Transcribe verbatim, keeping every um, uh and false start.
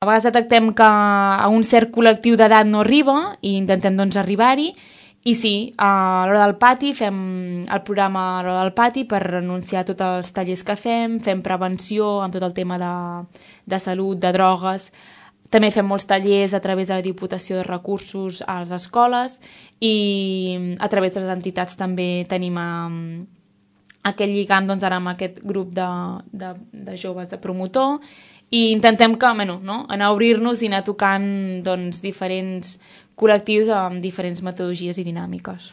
A vegades detectem que a un cert col·lectiu d'edat no arriba i intentem doncs arribar-hi. I sí, a l'hora del pati fem el programa a l'hora del pati per anunciar tots els tallers que fem, fem prevenció amb tot el tema de, de salut, de drogues. També fem molts tallers a través de la Diputació de Recursos a les escoles i a través de les entitats també tenim um, aquest lligam doncs, ara amb aquest grup de, de, de joves de promotor i intentem que, bueno, no? anar a obrir-nos i anar tocant doncs, diferents col·lectius amb diferents metodologies i dinàmiques.